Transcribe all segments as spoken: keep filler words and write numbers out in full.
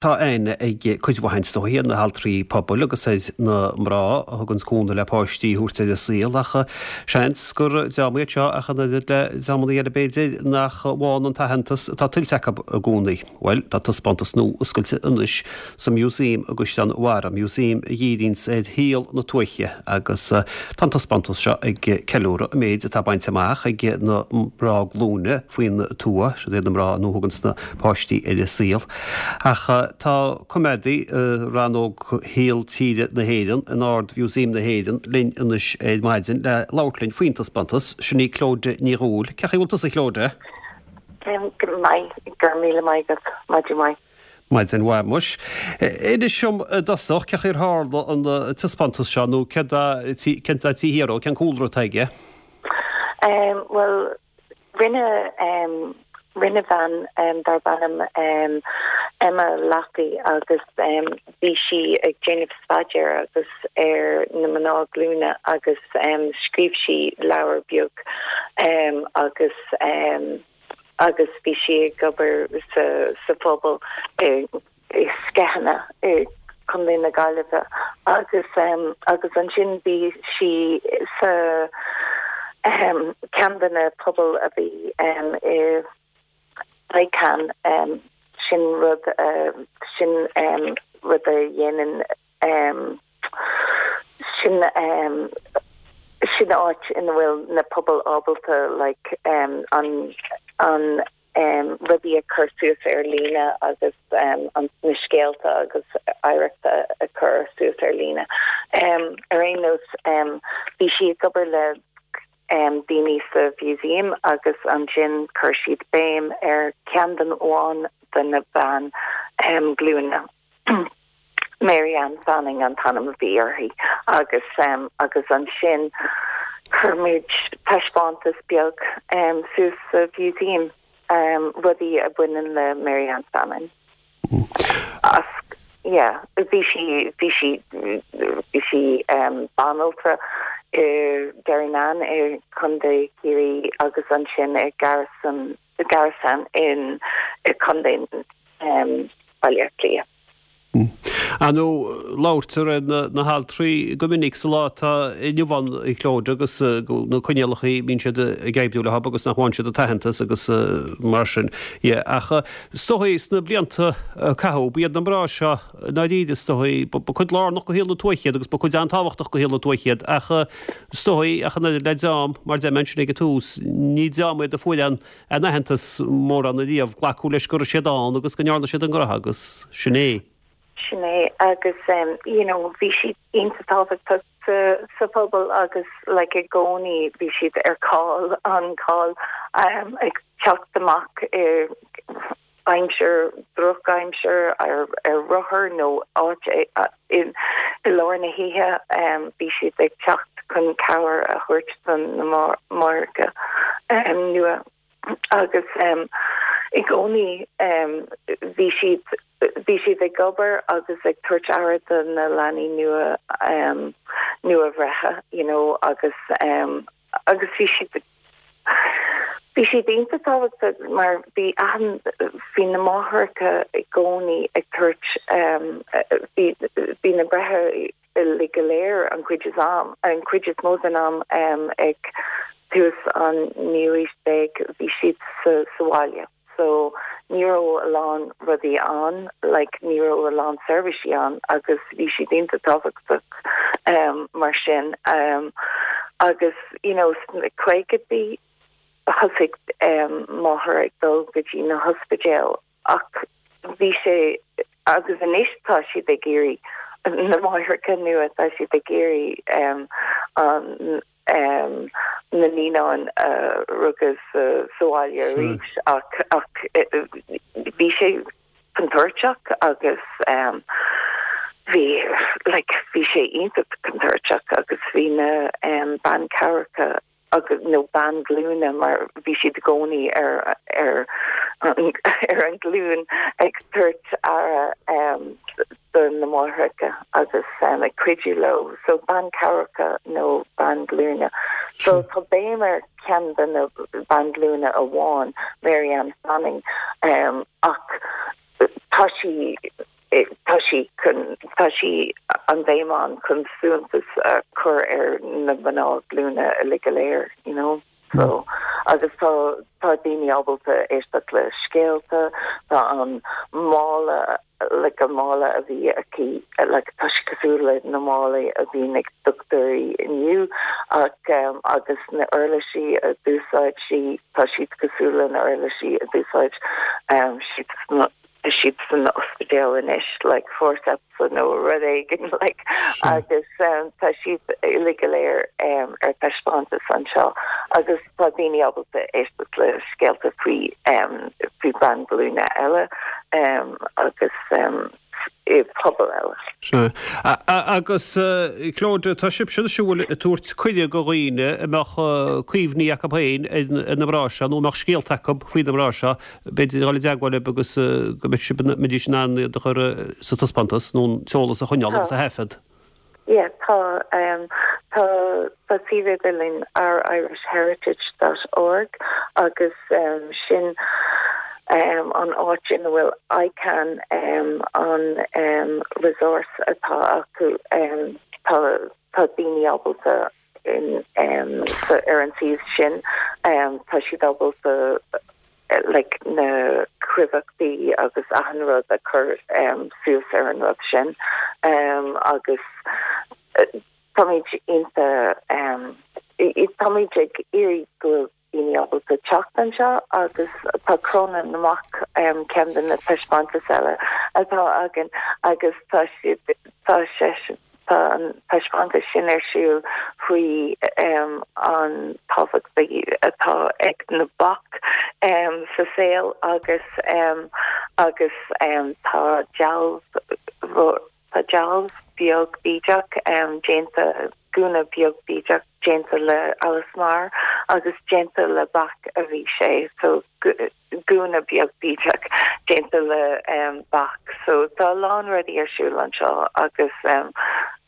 Tá aithne ag cuid mhaith is dóichí ar na haltraí pobail agus ar na mná a thugann cúnamh le páistí a thabhairt ar an saol ach seans gur dream iad seo ach an oiread le dreamanna eile b'fhéidir nach bhfaigheann an t-aitheantas atá tuillte acu i gcónaí. Bhuel, tá taispeántas nua oscailte anois sa Museum i gCaisleán Bharra, museum a dhíríonns ar shaol na tuaithe agus tá an taispeántas seo ag ceiliúradh an méid atá bainte amach ag na mná glúine faoin tuath, siad iad na mná a thugann na páistí ar an saol. Ach tá coimeádaí rannóg Shaol Tíre na hÉireann in Ard-Mhúsaem na hÉireann linn anois ar maidin le labhairt linn faoin taispeántas, sin í Clodagh Ní Dhubhghaill. Cén chaoi a bhfuil tusa, a Chlodagh? Go maith, go raibh míle maith agat, maidin mhaith. Maidin mhaith muis. Inis dom i dtosach, cén chaoi ar tharla an taispeántas seo nó céard atá taobh thiar dó, cén cúlra atá aige? Bhuel, rinne rinne bean darb ainm Emma Laffey agus bhí sí ag déanamh staidéar agus ar na mná glúine agus scríobh sí leabhar beag agus agus bhí sí ag obair sa sa phobal i i Sceithne i Contae na Gaillimhe agus agus ansin bhí sí sa ceann de na pobail a bhí i ICAN sin rud sin rud a dhéanann sin sin áit ina bhfuil na pobail ábalta like an an rudaí a chur suas ar líne agus an na scéalta agus oidhreacht a chur suas ar líne. Ar aon nós bhí sí ag obair le daoine sa mhúsaem agus ansin chuir siad béim ar cheann den amháin de na ban glúine. Mary Ann Fanning an t-ainm a bhí uirthi agus um, agus ansin chuir muid taispeántas beag um, suas sa mhúsaem um, rudaí a bhaineann le Mary Ann Fanning. As yeah, bhí sí bhí sí bhí sí um, banaltra i Derrynane i Contae Chiarraí agus ansin i Garrison Garrison in i Contae um, Baile Átha Cliath. Ar ndóigh labhraítear ar na, na haltraí go minic sa lá atá inniu ann a Chlodagh agus na coinníollacha a mbíonn siad ag oibriú leo agus nach bhfaigheann siad an t-aitheantas agus mar sin. Yeah, ach is dóigh sna blianta a caitheadh b'iad na mná seo ndáiríre is dóigh ba chuid lárnach de shaol na tuaithe iad agus ba chuid an-tábhachtach de shaol na tuaithe iad ach is dóigh ach an le dream mar deir mé ansin ag an tús ní dream iad a fuair an an aitheantas mórán ariamh glacadh leis go raibh siad ann agus go ndearna siad an ghnó agus sin é. Sin é agus um, you know, bhí siad iontach tábhachtach sa, sa phobal agus like i gcónaí bhí siad ar call on call um, ag teacht amach i aimsir drochaimsir ar ar rothar nó áit in i lár na hoíche um, bhí siad ag teacht chun cabhair a thabhairt don na máithreacha um, nua agus um, i gcónaí um, bhí siad bhí siad ag obair agus ag tabhairt aire do na leanaí nua um, nua bhreithe you know agus um, agus bhí siad bhí siad iontach tábhachtach mar bhí an bhí na máithreacha i gcónaí ag tabhairt um, bhí bhí na breithe le go léir an chuid is am an chuid is mó den am um, ag tús an naoú haois déag bhí siad sa sa bhaile. So ní raibh a lán rudaí ann, like ní raibh a lán seirbhísí ann agus bhí siad iontach tábhachtach um, mar sin um, agus you know caogaidí thosaigh um, máthair ag dul go dtí na hospidéal ach bhí sé agus anois tá siad ag iarraidh na máithreacha nua tá siad ag iarraidh um, an um, na naíonáin uh, rugadh sa sa bhaile arís ach ach bhí sé contúirteach agus um, bhí like bhí sé iontach contúirteach agus bhí na um, ban cabhracha agus nó ban glúine mar bhí siad i gcónaí ar ar ar an glún ag tabhairt aire um, do na máithreacha agus um, ag cuidiú leo so ban cabhracha nó ban glúine so tá béim ar ceann de na ban glúine amháin Mary Ann Fanning um, ach tá sí tá sí chun tá sí an bhéim ann chun suntas a chur ar na mná glúine uilig go léir you know so agus tá tá daoine ábalta éisteacht le scéalta tá an mála like a mála a bhí aici like tá sé cosúil le na málaí a bhí ag dochtúirí inniu ach um, agus na uirlisí a d'úsáid sí tá siad cosúil le na uirlisí a d'úsáid um, siad siad san ospidéal anois like forceps nó rud éigin like agus um, tá siad uilig go léir um, ar taispeántas anseo agus tá daoine ábalta éisteacht le scéalta faoi um, faoi bean glúine eile um, agus um, i pobal eile. Sea. Agus Clodagh tá sibhse siúil ag tabhairt cuireadh do dhaoine a mbeadh cuimhní acu féin ar na mná seo nó mbeadh scéalta acu faoi na mná seo b'fhéidir dul i dteagmháil libh agus go mbeidh sibh mbeidís in ann iad a chur sa taispeántas nó an t-eolas a choinneáil agus a thaifead. Yeah, tá um, tá tá suíomh idirlín ourIrishHeritage dot org agus um, sin um, an áit ina bhfuil ICAN um, an um, resource atá acu um, tá tá daoine ábalta in um, sa, ar an suíomh sin um, tá siad ábalta like na cuimhní agus achan rud a chur um, suas ar an rud sin um, agus uh, táimid inta um, táimid ag iarraidh go daoine ábalta teacht anseo agus tá Cróna na mBac um, ceann de na taispeántais eile atá againn agus tá siad tá sé tá an taispeántas sin ar siúl faoi um, an tábhacht atá ag na bac um, sa saol agus um, agus um, tá dealbh tá dealbh beag bídeach um, déanta gúna beag bídeach déanta le Alice Maher agus déanta le bac a bhí sé so gúna beag bídeach déanta le um, bac so tá lán rudaí ar siúl anseo agus um,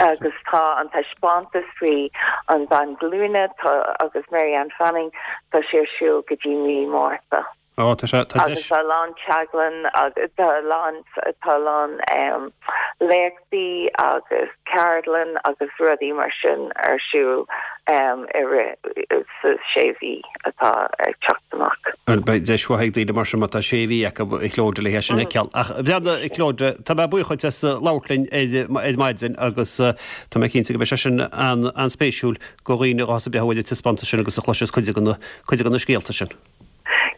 agus tá an taispeántas faoi an bhean ghlúine tá agus Marianne Fanning tá sé ar siúl go dtí mí Márta. Ó tá sé tá agus tá lán teaglann agus tá lán tá lán um, léachtaí agus ceardlann agus rudaí mar sin ar siúl um, i sa sé mhí atá ag teacht amach. Beidh deis mhaith ag daoine mar sin má tá sé mhí acu a Chlodagh le sin ceall. Ach bhreada Clodagh tá mé buíoch as labhairt linn ar maidin agus tá mé cinnte go mbeidh sé sin an an-spéisiúil do dhaoine a bheas ag taispeántas sin agus a chloisfeas cuid de na cuid de na scéalta sin.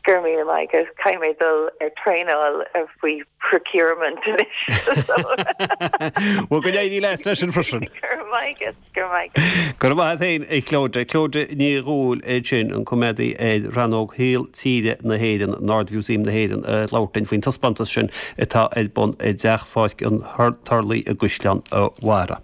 Gur mí agus caithfidh mé dul ar traenáil faoi procurement anois. Well go n-éirí leat leis sin freisin. Gur maith gur maith. Gur maith féin a Chlodagh Clodagh Ní Dhúill é sin an coimeádaí ar rannóg shaol tíre na hÉireann Ard-Mhúsaem na hÉireann labhairt linn faoin taispeántas sin atá ar bun i dTeach Pháirc an Turlaigh i gCaisleán an Bharraigh.